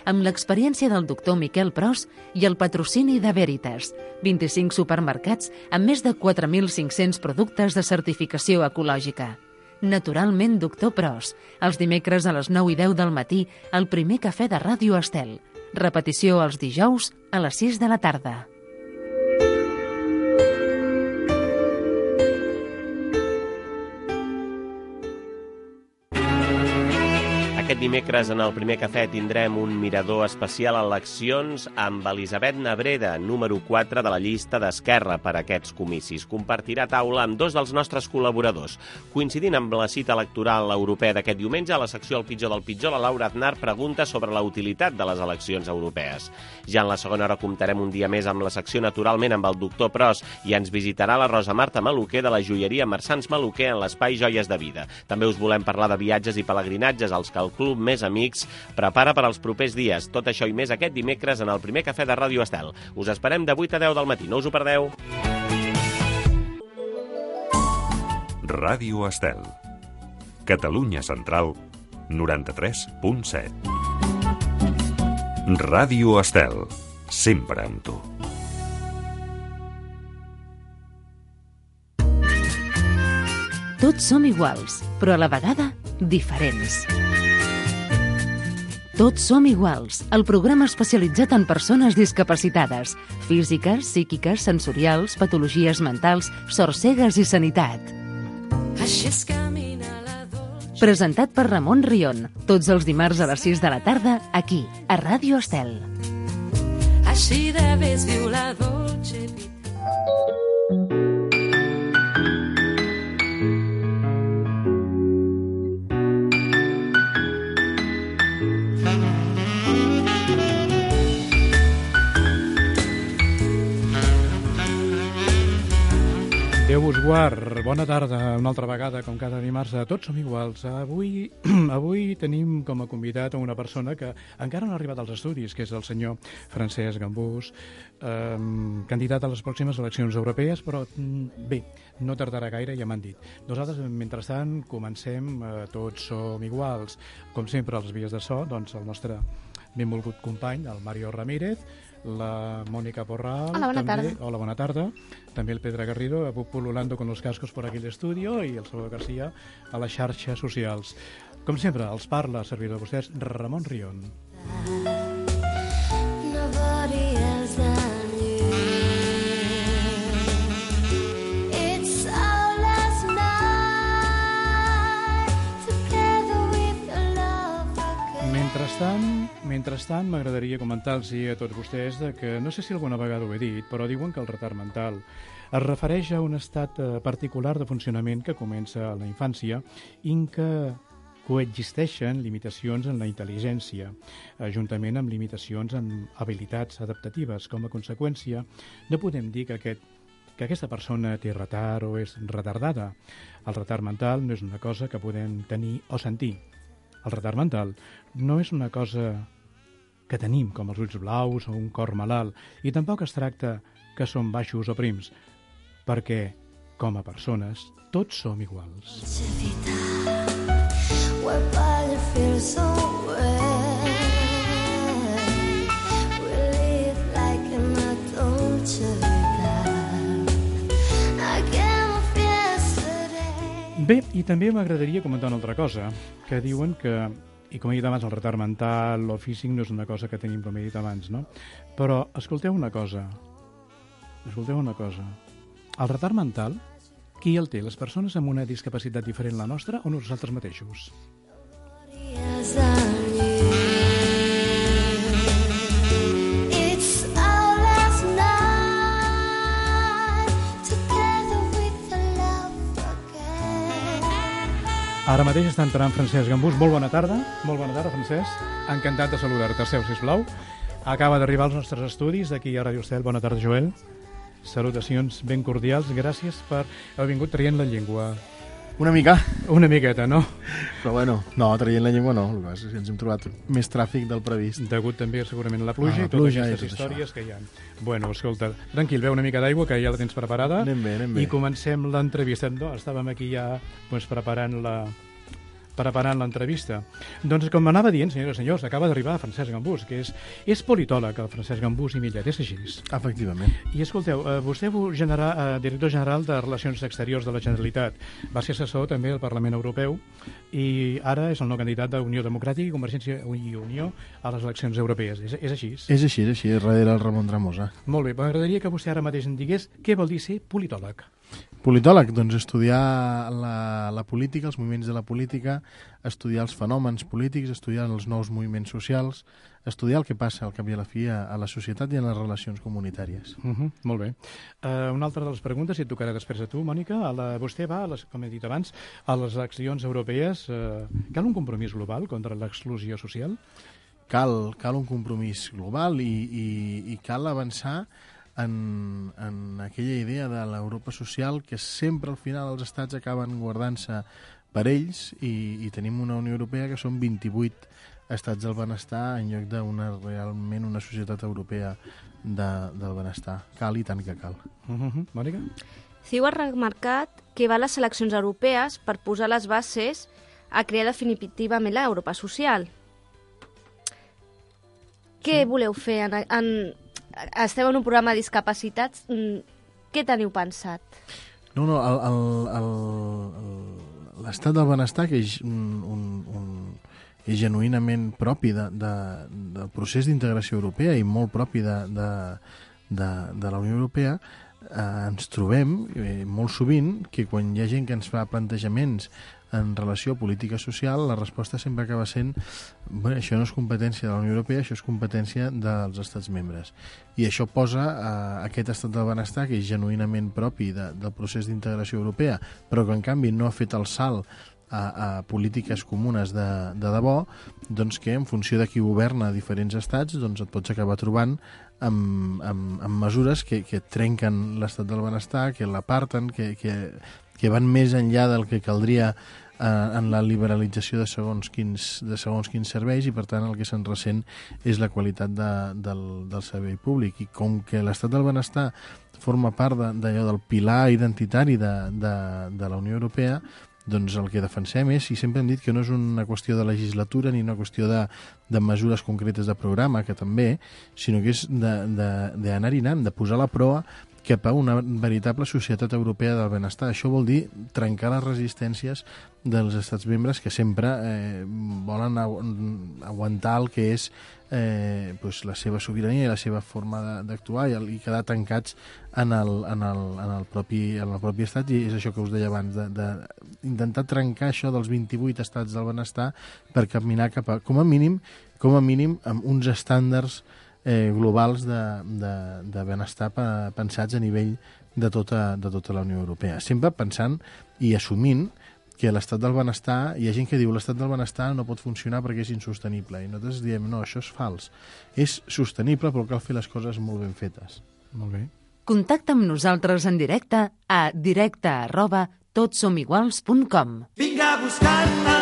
amb l'experiència del doctor Miquel Pros i el patrocini de Veritas, 25 supermercats amb més de 4.500 productes de certificació ecològica. Naturalment, doctor Pros, els dimecres a les 9 i 10 del matí, al primer cafè de Ràdio Estel. Repetició els dijous a les 6 de la tarda. Aquest dimecres en el primer cafè tindrem un mirador especial a eleccions amb Elisabet Nebreda, número 4 de la llista d'Esquerra per a aquests comicis. Compartirà taula amb dos dels nostres col·laboradors. Coincidint amb la cita electoral europea d'aquest diumenge, a la secció El pitjor del pitjor, la Laura Aznar pregunta sobre la utilitat de les eleccions europees. Ja en la segona hora comptarem un dia més amb la secció Naturalment amb el doctor Pros i ens visitarà la Rosa Marta Maluquer de la joieria Marsans Maluquer en l'espai Joies de Vida. També us volem parlar de viatges i pelegrinatges als que el Club Més Amics prepara per als propers dies. Tot això i més aquest dimecres en el primer cafè de Ràdio Estel. Us esperem de 8 a 10 del matí, no us ho perdeu. Ràdio Estel. Catalunya Central, 93.7. Ràdio Estel, sempre amb tu. Tots som iguals, però a la vegada diferents. Tots som iguals, el programa especialitzat en persones discapacitades, físiques, psíquiques, sensorials, patologies mentals, sorcegues i sanitat. Presentat per Ramon Rion, tots els dimarts a les 6 de la tarda, aquí, a Ràdio Estel. Així de vés viu la dolce vita. Déu us guard, bona tarda, una altra vegada, com cada dimarts, a Tots som iguals. Avui tenim com a convidat a una persona que encara no ha arribat als estudis, que és el senyor Francesc Gambús, candidat a les pròximes eleccions europees, però bé, no tardarà gaire, ja m'han dit. Nosaltres, mentrestant, comencem Tots som iguals. Com sempre, a les vies de so, doncs el nostre benvolgut company, el Mario Ramírez, la Mónica Porral. Hola, bona tarda. Hola, bona tarda. També el Pedro Garrido, pululando con los cascos por aquí el estudio, i el Salvador García a les xarxes socials. Com sempre, els parla, servidor de vostès, Ramon Rion. Nobody else than you. It's our last night together with your love again. Mentrestant, m'agradaria comentar-los a tots vostès que, no sé si alguna vegada ho he dit, però diuen que el retard mental es refereix a un estat particular de funcionament que comença a la infància i en què coexisteixen limitacions en la intel·ligència, juntament amb limitacions en habilitats adaptatives. Com a conseqüència, no podem dir que aquesta persona té retard o és retardada. El retard mental no és una cosa que podem tenir o sentir. El retard mental no és una cosa que tenim, com els ulls blaus o un cor malalt, i tampoc es tracta que som baixos o prims, perquè, com a persones, tots som iguals. Bé, i també m'agradaria comentar una altra cosa, que diuen que, i com he dit abans, el retard mental o físic no és una cosa que tenim, com he dit abans, no? Però escolteu una cosa. El retard mental, qui el té? Les persones amb una discapacitat diferent a la nostra o nosaltres mateixos? Ara mateix està entrant Francesc Gambús. Molt bona tarda. Molt bona tarda, Francesc. Encantat de saludar-te. Seu, sisplau. Acaba d'arribar als nostres estudis d'aquí a Ràdio Estel. Bona tarda, Joel. Salutacions ben cordials. Gràcies per haver vingut traient la llengua. Una mica. Una miqueta, no? Però bueno, no, traient la llengua no. El que passa és que ens hem trobat més tràfic del previst. Degut també segurament a la pluja i totes aquestes històries que hi ha. Bueno, escolta, tranquil, beu una mica d'aigua, que ja la tens preparada. Anem bé. I comencem l'entrevista. No, estàvem aquí ja preparant preparant l'entrevista. Doncs com anava dient, senyores i senyors, acaba d'arribar Francesc Gambús, que és politòleg, el Francesc Gambús i Millet, és així? Efectivament. I escolteu, vostè director general de Relacions Exteriors de la Generalitat, va ser assessor també al Parlament Europeu i ara és el nou candidat d'Unió Democràtica i Convergència i Unió a les eleccions europees. És així? És així, darrere el Ramon Tremosa. Molt bé, m'agradaria que vostè ara mateix em digués què vol dir ser politòleg. Politòleg, doncs estudiar la política, els moviments de la política, estudiar els fenòmens polítics, estudiar els nous moviments socials, estudiar el que passa al cap i a la fi a la societat i en les relacions comunitàries. Molt bé. Una altra de les preguntes, si et tocarà després a tu, Mònica, vostè va, com he dit abans, a les eleccions europees. Cal un compromís global contra l'exclusió social? Cal un compromís global i cal avançar en aquella idea de l'Europa social que sempre al final els estats acaben guardant-se per ells i tenim una Unió Europea que són 28 estats del benestar en lloc realment una societat europea del benestar. Cal i tant que cal. Mònica? CiU ha remarcat que va a les eleccions europees per posar les bases a crear definitivament l'Europa social. Què voleu fer? Esteu en un programa de discapacitats. Què teniu pensat? L'estat del benestar, que és és genuïnament propi del procés d'integració europea i molt propi de la Unió Europea, ens trobem molt sovint que quan hi ha gent que ens fa plantejaments en relació a política social, la resposta sempre acaba sent això no és competència de la Unió Europea, això és competència dels estats membres. I això posa aquest estat del benestar, que és genuïnament propi del procés d'integració europea, però que en canvi no ha fet el salt a polítiques comunes de debò, doncs que en funció de qui governa diferents estats doncs et pots acabar trobant amb mesures que trenquen l'estat del benestar, que l'aparten, que van més enllà del que caldria en la liberalització de segons quins serveis i per tant el que se'n ressent és la qualitat del servei públic. I com que l'estat del benestar forma part d'allò del pilar identitari de la Unió Europea, doncs el que defensem és, i sempre hem dit que no és una qüestió de legislatura ni una qüestió de mesures concretes de programa, que també, sinó que és d'anar-hi anant, de posar la proa cap a una veritable societat europea del benestar. Això vol dir trencar les resistències dels estats membres que sempre volen aguantar el que és la seva sobirania i la seva forma d'actuar i quedar tancats en el propi estat, i és això que us deia abans, d'intentar trencar això dels 28 estats del benestar per caminar cap a, com a mínim amb uns estàndards globals de benestar pensats a nivell de tota la Unió Europea. Sempre pensant i assumint que l'estat del benestar, hi ha gent que diu l'estat del benestar no pot funcionar perquè és insostenible, i nosaltres diem no, això és fals. És sostenible però cal fer les coses molt ben fetes. Molt bé. Contacta amb nosaltres en directe a directe@totsomiguals.com. Vinga a buscar-te.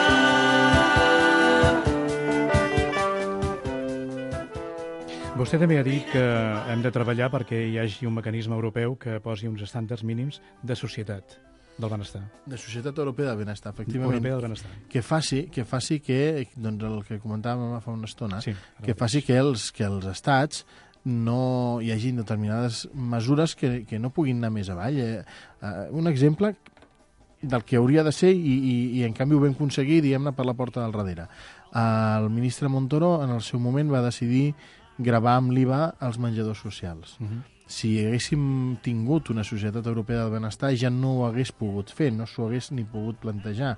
Vostè també ha dit que hem de treballar perquè hi hagi un mecanisme europeu que posi uns estàndards mínims de societat del benestar. De societat europea del benestar, efectivament. Europea del benestar. Que faci que, doncs el que comentàvem fa una estona, sí, que faci que els estats no hi hagi determinades mesures que no puguin anar més avall. Un exemple del que hauria de ser i en canvi ho vam aconseguir, diguem-ne, per la porta del darrere. El ministre Montoro en el seu moment va decidir gravar amb l'IVA els menjadors socials. Si haguéssim tingut una societat europea del benestar ja no ho hagués pogut fer, no s'ho hagués ni pogut plantejar.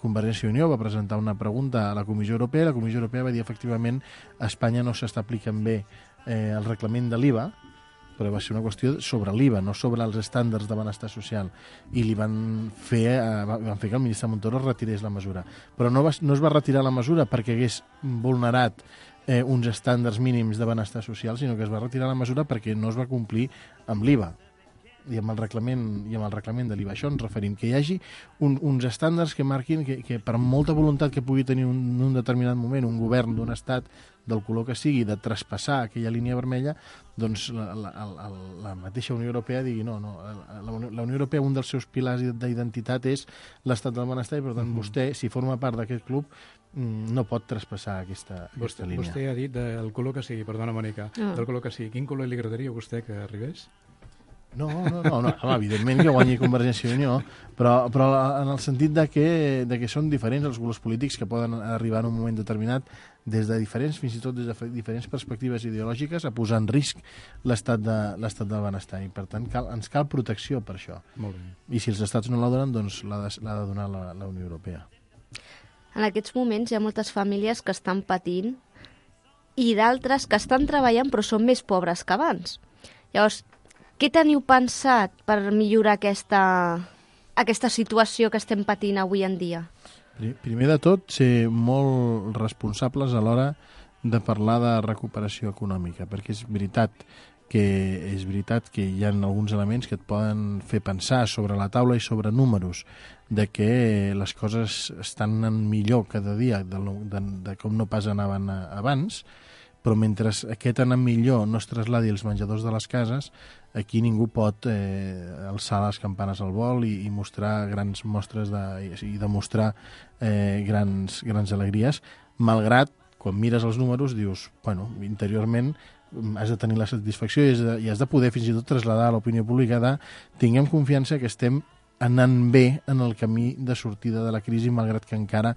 Convergència i Unió va presentar una pregunta a la Comissió Europea, la Comissió Europea va dir efectivament a Espanya no s'està aplicant bé el reglament de l'IVA, però va ser una qüestió sobre l'IVA, no sobre els estàndards de benestar social, i li van fer que el ministre Montoro retirés la mesura. Però no es va retirar la mesura perquè hagués vulnerat uns estàndards mínims de benestar social, sinó que es va retirar la mesura perquè no es va complir amb l'IVA. i amb el reglament de l'IVA. Això ens referim, que hi hagi uns estàndards que marquin que per molta voluntat que pugui tenir en un determinat moment un govern d'un estat del color que sigui de traspassar aquella línia vermella, doncs la mateixa Unió Europea digui no, la Unió Europea, un dels seus pilars d'identitat és l'estat del benestar i per tant vostè, si forma part d'aquest club, no pot traspassar aquesta línia. Vostè ha dit del color que sigui, perdona Mònica, del color que sigui. Quin color li agradaria a vostè que arribés? No, home, evidentment que guanyi Convergència i Unió, però en el sentit de que són diferents els colors polítics que poden arribar en un moment determinat fins i tot des de diferents perspectives ideològiques a posar en risc l'estat del benestar i per tant ens cal protecció per això. Molt bé. I si els estats no la donen, doncs l'ha de donar la Unió Europea. En aquests moments hi ha moltes famílies que estan patint i d'altres que estan treballant però són més pobres que abans. Llavors, què teniu pensat per millorar aquesta situació que estem patint avui en dia? Primer de tot, ser molt responsables a l'hora de parlar de recuperació econòmica, perquè és veritat que hi ha alguns elements que et poden fer pensar sobre la taula i sobre números de que les coses estan anant millor cada dia de com no pas anaven abans, però mentre aquest anar millor no es trasladi als menjadors de les cases, aquí ningú pot alçar les campanes al vol i mostrar grans mostres i demostrar grans alegries, malgrat, quan mires els números, dius, bueno, interiorment has de tenir la satisfacció i has de poder fins i tot traslladar a l'opinió pública de tinguem confiança que estem anant bé en el camí de sortida de la crisi, malgrat que encara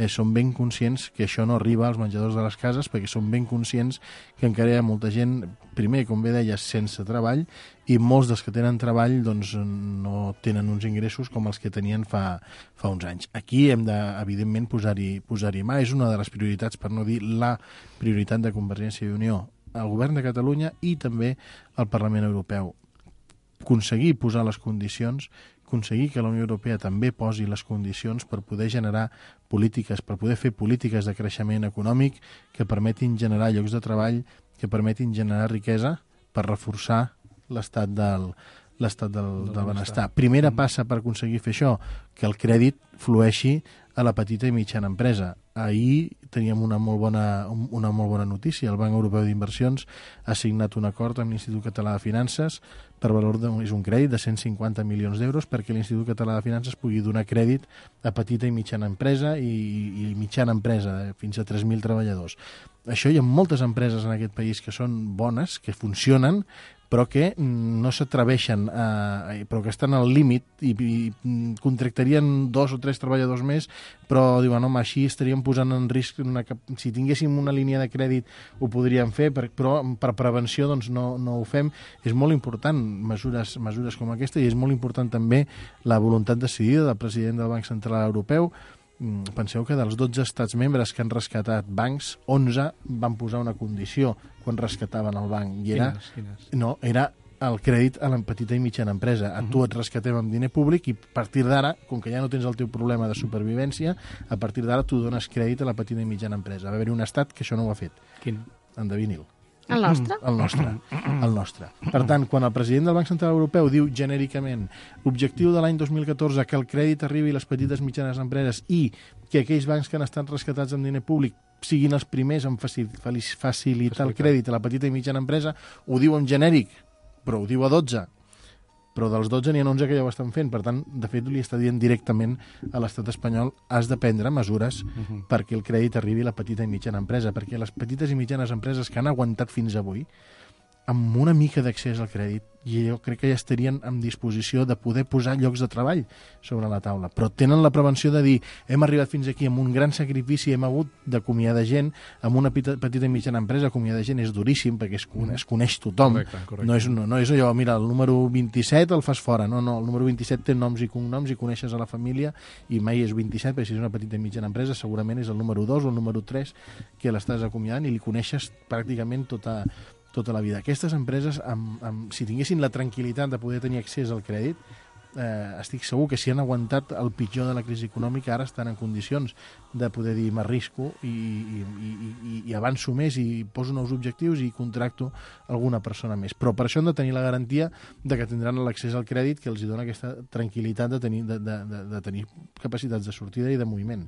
som ben conscients que això no arriba als menjadors de les cases, perquè som ben conscients que encara hi ha molta gent, primer, com bé deies, sense treball, i molts dels que tenen treball doncs, no tenen uns ingressos com els que tenien fa uns anys. Aquí hem de, evidentment, posar-hi mà. És una de les prioritats, per no dir la prioritat de Convergència i Unió, al govern de Catalunya i també al Parlament Europeu. Aconseguir posar les condicions, aconseguir que la Unió Europea també posi les condicions per poder generar polítiques, per poder fer polítiques de creixement econòmic que permetin generar llocs de treball, que permetin generar riquesa per reforçar l'estat del benestar. Primera passa per aconseguir fer això, que el crèdit flueixi a la petita i mitjana empresa. Ahir teníem una molt bona notícia. El Banc Europeu d'Inversions ha signat un acord amb l'Institut Català de Finances per valor és un crèdit de 150 milions d'euros perquè l'Institut Català de Finances pugui donar crèdit a petita i mitjana empresa i mitjana empresa, fins a 3.000 treballadors. Això hi ha moltes empreses en aquest país que són bones, que funcionen, però que no s'atreveixen, però que estan al límit i contractarien 2 o 3 treballadors més, però diuen, home, així estaríem posant en risc, si tinguéssim una línia de crèdit ho podríem fer, però per prevenció doncs no ho fem. És molt important mesures com aquesta i és molt important també la voluntat decidida del president del Banc Central Europeu. Penseu que dels 12 estats membres que han rescatat bancs, 11 van posar una condició quan rescataven el banc. I Quines? No, era el crèdit a la petita i mitjana empresa. A tu et rescatem amb diner públic i a partir d'ara, com que ja no tens el teu problema de supervivència, a partir d'ara tu dones crèdit a la petita i mitjana empresa. Va haver-hi un estat que això no ho ha fet. Quin? Endevinil. El nostre? El nostre. Per tant, quan el president del Banc Central Europeu diu genèricament l'objectiu de l'any 2014 que el crèdit arribi a les petites i mitjanes empreses i que aquells bancs que han estat rescatats amb diner públic siguin els primers en facilitar el crèdit a la petita i mitjana empresa, ho diu en genèric, però ho diu a 12. Però dels 12 n'hi ha 11 que ja ho estan fent. Per tant, de fet, li està dient directament a l'estat espanyol has de prendre mesures perquè el crèdit arribi a la petita i mitjana empresa, perquè les petites i mitjanes empreses que han aguantat fins avui, amb una mica d'accés al crèdit, jo crec que ja estarien en disposició de poder posar llocs de treball sobre la taula. Però tenen la prevenció de dir hem arribat fins aquí amb un gran sacrifici, hem hagut d'acomiadar gent, amb una petita i mitjana empresa acomiadar gent és duríssim perquè es coneix tothom. Correcte. No és allò, mira, el número 27 el fas fora. No, el número 27 té noms i cognoms i coneixes a la família i mai és 27, perquè si és una petita i mitjana empresa segurament és el número 2 o el número 3 que l'estàs acomiadant i li coneixes pràcticament tota la vida. Aquestes empreses, si tinguessin la tranquil·litat de poder tenir accés al crèdit, estic segur que si han aguantat el pitjor de la crisi econòmica ara estan en condicions de poder dir m'arrisco i avanço més i poso nous objectius i contracto alguna persona més. Però per això han de tenir la garantia de que tindran l'accés al crèdit que els dona aquesta tranquil·litat de tenir capacitats de sortida i de moviment.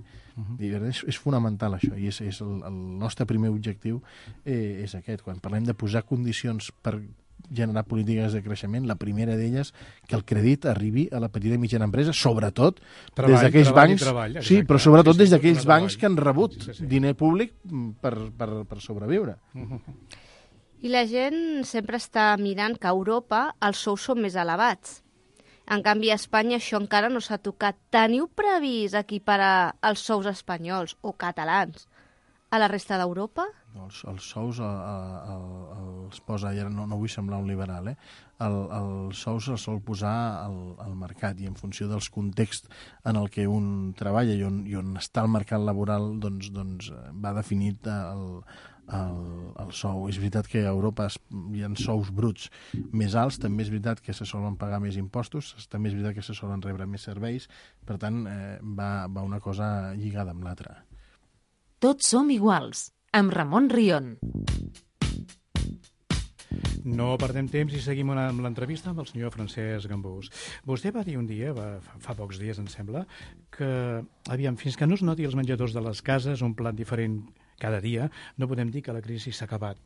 És fonamental això i és el nostre primer objectiu és aquest. Quan parlem de posar condicions per generar polítiques de creixement, la primera d'elles que el crèdit arribi a la petita i mitjana empresa, sobretot des d'aquells bancs, sí, però sobretot des d'aquells bancs que han rebut diner públic per sobreviure. I la gent sempre està mirant que a Europa els sous són més elevats. En canvi, a Espanya això encara no s'ha tocat. Teniu previst equiparar els sous espanyols o catalans a la resta d'Europa? Els sous els posa, i ara no vull semblar un liberal, els sous els sol posar al mercat i en funció dels contexts en el que un treballa i on està el mercat laboral doncs va definit el sou. És veritat que a Europa hi ha sous bruts més alts, també és veritat que se solen pagar més impostos, també és veritat que se solen rebre més serveis, per tant va una cosa lligada amb l'altra. Tots som iguals, amb Ramon Rion. No perdem temps i seguim amb l'entrevista amb el senyor Francesc Gambús. Vostè va dir un dia, fa pocs dies em sembla, que fins que no es noti els menjadors de les cases un plat diferent cada dia, no podem dir que la crisi s'ha acabat.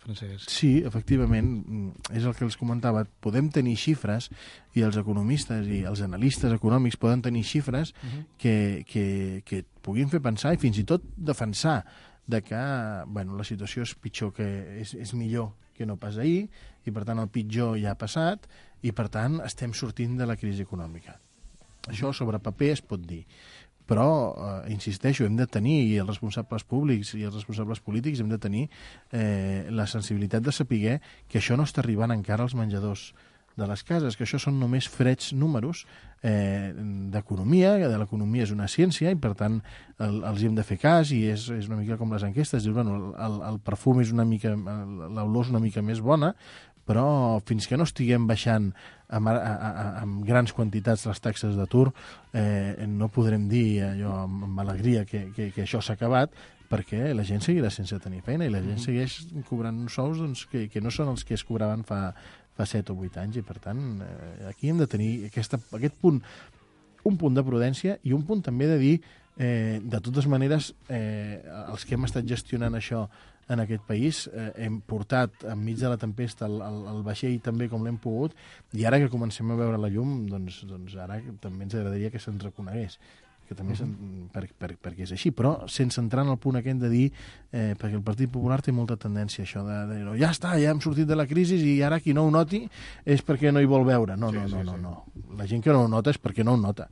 Francesc. Sí, efectivament, és el que els comentava. Podem tenir xifres i els economistes i els analistes econòmics poden tenir xifres que puguin fer pensar i fins i tot defensar de que la situació és pitjor, que és millor que no pas ahir i per tant el pitjor ja ha passat i per tant estem sortint de la crisi econòmica. Això sobre paper es pot dir. Però, insisteixo, hem de tenir, i els responsables públics i els responsables polítics hem de tenir la sensibilitat de saber que això no està arribant encara als menjadors de les cases, que això són només freds números d'economia, que l'economia és una ciència i per tant els hem de fer cas i és una mica com les enquestes, dius, el perfum és una mica, l'olor és una mica més bona, però fins que no estiguem baixant amb grans quantitats les taxes d'atur no podrem dir allò amb alegria que això s'ha acabat, perquè la gent seguirà sense tenir feina i la gent segueix cobrant uns sous que no són els que es cobraven fa 7 o 8 anys i per tant aquí hem de tenir aquest punt, un punt de prudència i un punt també de dir de totes maneres els que hem estat gestionant això en aquest país hem portat enmig de la tempesta el vaixell també com l'hem pogut i ara que comencem a veure la llum doncs ara també ens agradaria que se'ns reconegués que també perquè és així, però sense entrar en el punt aquest de dir perquè el Partit Popular té molta tendència a això de dir, ja està, ja hem sortit de la crisi i ara qui no ho noti és perquè no hi vol veure. No. La gent que no ho nota és perquè no ho nota.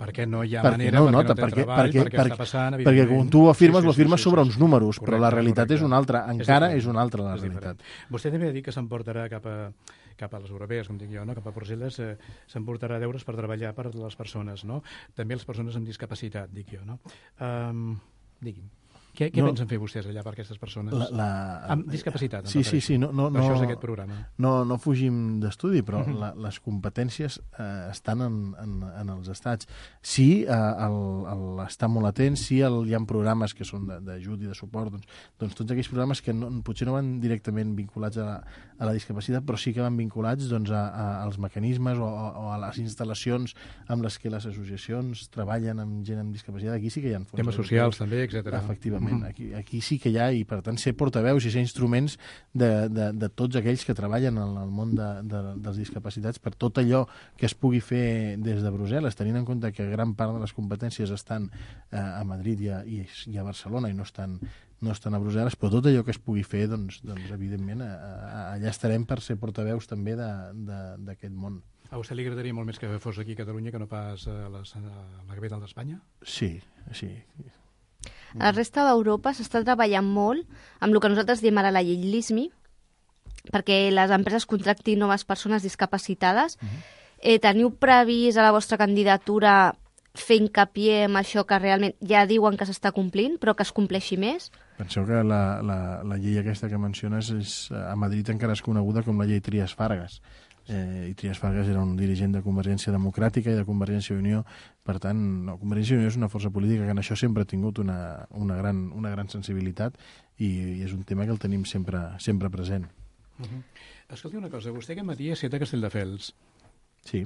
Perquè no hi ha manera, perquè no té treball, perquè està passant, perquè quan tu ho afirmes, ho afirmes sobre uns números, però la realitat és una altra, encara és una altra la realitat. Vostè també ha dit que s'emportarà cap a les europees, com dic jo, no? Cap a Brussel·les, s'emportarà deures per treballar per les persones, no? També les persones amb discapacitat, dic jo, no? Digui'm. Què pensen fer vostès allà per aquestes persones? Amb discapacitat. Sí. Això és aquest programa. No fugim d'estudi, però les competències estan en els estats. Sí, estar molt atents, sí, hi ha programes que són d'ajut i de suport, doncs tots aquells programes que potser no van directament vinculats a la discapacitat, però sí que van vinculats als mecanismes o a les instal·lacions amb les que les associacions treballen amb gent amb discapacitat. Aquí sí que hi ha fons. Temes socials també, etc. Efectivament. Aquí sí que hi ha, i per tant ser portaveus i ser instruments de tots aquells que treballen en el món dels discapacitats per tot allò que es pugui fer des de Brussel·les, tenint en compte que gran part de les competències estan a Madrid i a Barcelona i no estan a Brussel·les, però tot allò que es pugui fer, doncs evidentment, allà estarem per ser portaveus també d'aquest món. A vostè li agradaria molt més que fos aquí a Catalunya que no pas a la capital d'Espanya? Sí. A la resta d'Europa s'està treballant molt amb el que nosaltres diem ara la llei LISMI, perquè les empreses contractin noves persones discapacitades. Teniu previst a la vostra candidatura fer hincapié en això que realment ja diuen que s'està complint, però que es compleixi més? Penseu que la llei aquesta que menciones a Madrid encara és coneguda com la llei Trias Fargas. i Trias Fargas era un dirigent de Convergència Democràtica i de Convergència i Unió. Per tant, no, Convergència i Unió és una força política que en això sempre ha tingut una gran sensibilitat i és un tema que el tenim sempre present. Escolti una cosa, vostè aquest matí ha estat a Castelldefels. Sí.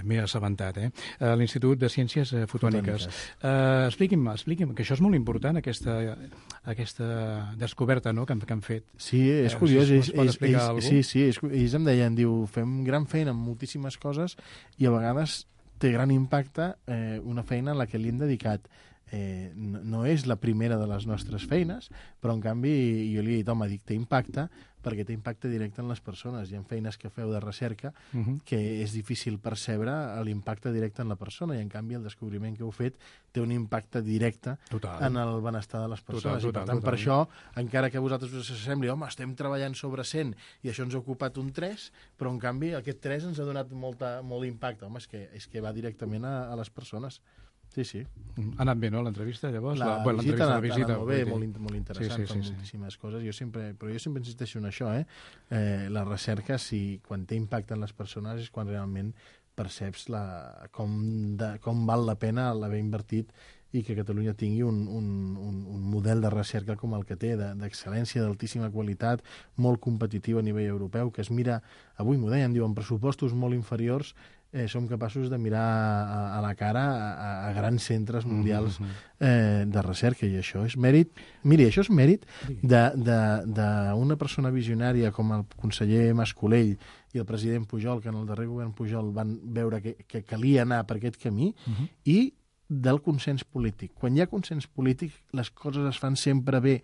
M'he assabentat, a l'Institut de Ciències Fotòniques. Expliqui'm, que això és molt important, aquesta descoberta, no?, que han fet. Sí, és curiós. Si pot explicar alguna cosa? Sí, ells em deien, fem gran feina amb moltíssimes coses i a vegades té gran impacte una feina a la que li hem dedicat. No és la primera de les nostres feines, però en canvi jo li he dit, home, té impacte perquè té impacte directe en les persones. Hi ha feines que feu de recerca que és difícil percebre l'impacte directe en la persona i en canvi el descobriment que heu fet té un impacte directe en el benestar de les persones. I per tant, per això, encara que a vosaltres us sembli, home, estem treballant sobre 100 i això ens ha ocupat un 3, però en canvi aquest 3 ens ha donat molt impacte. Home, és que va directament a les persones. Sí. Ha anat bé, no, l'entrevista, llavors? La visita ha anat molt bé, molt interessant, sí. moltíssimes coses. Però jo sempre insisteixo en això, la recerca, quan té impacte en les persones, és quan realment perceps com val la pena l'haver invertit i que Catalunya tingui un model de recerca com el que té, d'excel·lència, d'altíssima qualitat, molt competitiu a nivell europeu, que es mira, avui m'ho deien, diuen, pressupostos molt inferiors, som capaços de mirar a la cara a grans centres mundials de recerca, i això és mèrit. Miri, això és mèrit d'una persona visionària com el conseller Mas-Colell i el president Pujol, que en el darrer govern Pujol van veure que calia anar per aquest camí, i del consens polític. Quan hi ha consens polític, les coses es fan sempre bé.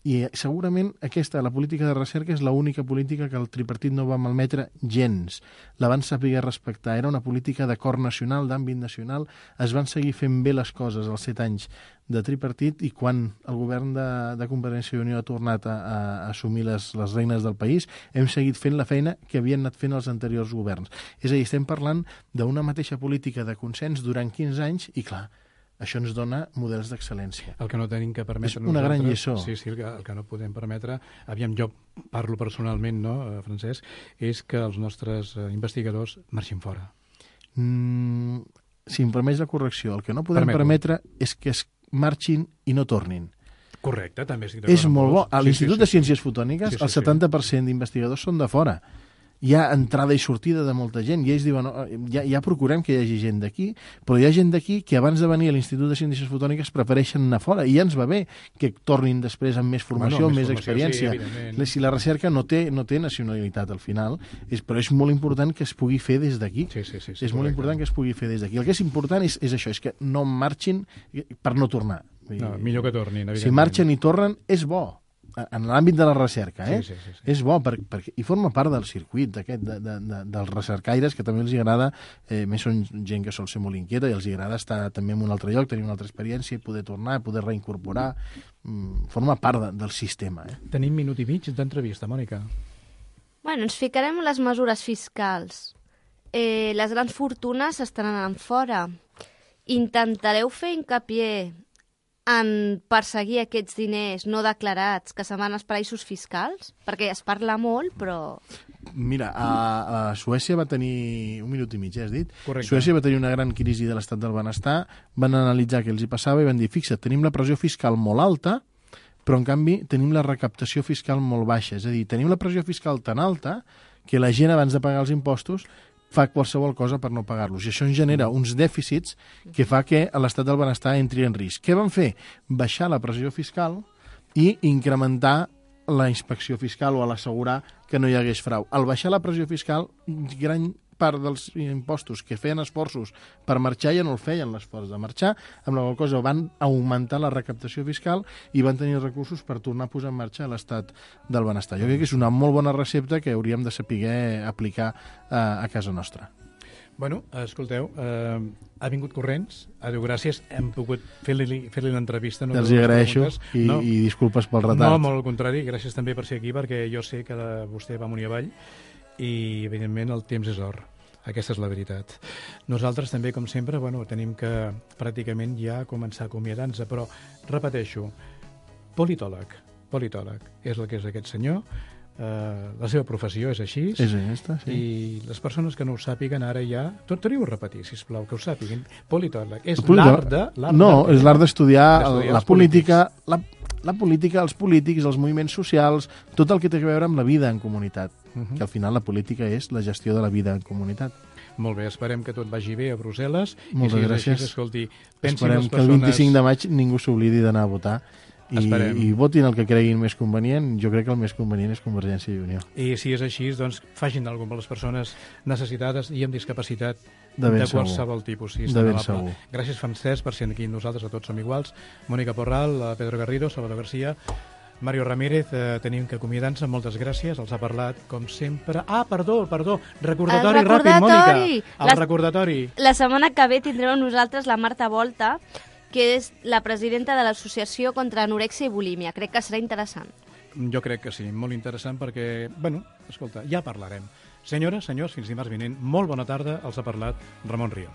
I segurament la política de recerca és l'única política que el tripartit no va malmetre gens. La van saber respectar. Era una política d'acord nacional, d'àmbit nacional. Es van seguir fent bé les coses als 7 anys de tripartit i quan el govern de Convergència i Unió ha tornat a assumir les regnes del país, hem seguit fent la feina que havien anat fent els anteriors governs. És a dir, estem parlant d'una mateixa política de consens durant 15 anys i, clar, això ens dona models d'excel·lència. El que no tenim que permetre és una gran lliçó. Sí, el que no podem permetre, aviam, jo parlo personalment, no, Francesc, és que els nostres investigadors marxin fora. Si em permets la correcció, el que no podem permetre és que es marxin i no tornin. Correcte, també estic d'acord. És molt bo. A l'Institut de Ciències Fotòniques, el 70% d'investigadors són de fora. Hi ha entrada i sortida de molta gent, i ells diuen, ja procurem que hi hagi gent d'aquí, però hi ha gent d'aquí que abans de venir a l'Institut de Ciències Fotòniques prefereixen anar fora, i ja ens va bé que tornin després amb més formació, amb més experiència. Sí, si la recerca no té nacionalitat al final, però és molt important que es pugui fer des d'aquí. És molt important que es pugui fer des d'aquí. El que és important és això, és que no marxin per no tornar. Millor que tornin, evidentment. Si marxen i tornen, és bo. En l'àmbit de la recerca, Sí. És bo, perquè i forma part del circuit dels recercaires, que també els agrada, més són gent que sol ser molt inquieta i els agrada estar també en un altre lloc, tenir una altra experiència i poder tornar, poder reincorporar. Forma part del sistema. Tenim minut i mig d'entrevista, Mònica. Bueno, ens ficarem en les mesures fiscals. Les grans fortunes estan anant fora. Intentareu fer hincapié en perseguir aquests diners no declarats que se'n van als paraïsos fiscals? Perquè es parla molt, però... Mira, a Suècia va tenir... Un minut i mig, has dit? Correcte. Suècia va tenir una gran crisi de l'estat del benestar, van analitzar què els hi passava i van dir, fixa't, tenim la pressió fiscal molt alta, però en canvi tenim la recaptació fiscal molt baixa. És a dir, tenim la pressió fiscal tan alta que la gent abans de pagar els impostos fa qualsevol cosa per no pagar-los. I això ens genera uns dèficits que fa que l'estat del benestar entri en risc. Què van fer? Baixar la pressió fiscal i incrementar la inspecció fiscal o a l'assegurar que no hi hagués frau. Al baixar la pressió fiscal, gran part dels impostos que feien esforços per marxar ja no el feien l'esforç de marxar, amb la qual cosa van augmentar la recaptació fiscal i van tenir recursos per tornar a posar en marxa l'estat del benestar. Jo crec que és una molt bona recepta que hauríem de saber aplicar a casa nostra. Bueno, escolteu, ha vingut corrents, adéu, gràcies, hem pogut fer-li l'entrevista. Els hi agraeixo i disculpes pel retard. No, molt al contrari, gràcies també per ser aquí, perquè jo sé que vostè va amunt i avall i, evidentment, el temps és or. Aquesta és la veritat. Nosaltres també, com sempre, tenim que pràcticament ja començar a acomiadar-nos, però, repeteixo, politòleg és el que és aquest senyor, la seva professió és així. És aquesta, sí. I les persones que no ho sàpiguen ara ja... Torniu a repetir, sisplau, que ho sàpiguen. Politòleg. És l'art de... No, és l'art d'estudiar la política, polítics. la política, els polítics, els moviments socials, tot el que té a veure amb la vida en comunitat. Que al final la política és la gestió de la vida en comunitat. Molt bé, esperem que tot vagi bé a Brussel·les. Moltes gràcies. Així, escolti, pensin esperem les que el 25 de maig ningú s'oblidi d'anar a votar i votin el que creguin més convenient. Jo crec que el més convenient és Convergència i Unió. I si és així, doncs facin alguna per les persones necessitades i amb discapacitat de qualsevol tipus. Sí, de ben segur. Gràcies, Francesc, per ser aquí amb nosaltres, a tots som iguals. Mònica Porral, Pedro Garrido, Salvador García, Mario Ramírez, tenim que acomiadar-nos. Moltes gràcies, els ha parlat, com sempre... Perdó, recordatori ràpid, Mònica. El recordatori. La setmana que ve tindrem amb nosaltres la Marta Volta, que és la presidenta de l'Associació contra Anorèxia i Bulímia. Crec que serà interessant. Jo crec que sí, molt interessant perquè, escolta, ja parlarem. Senyores, senyors, fins dimarts vinent, molt bona tarda, els ha parlat Ramon Rio.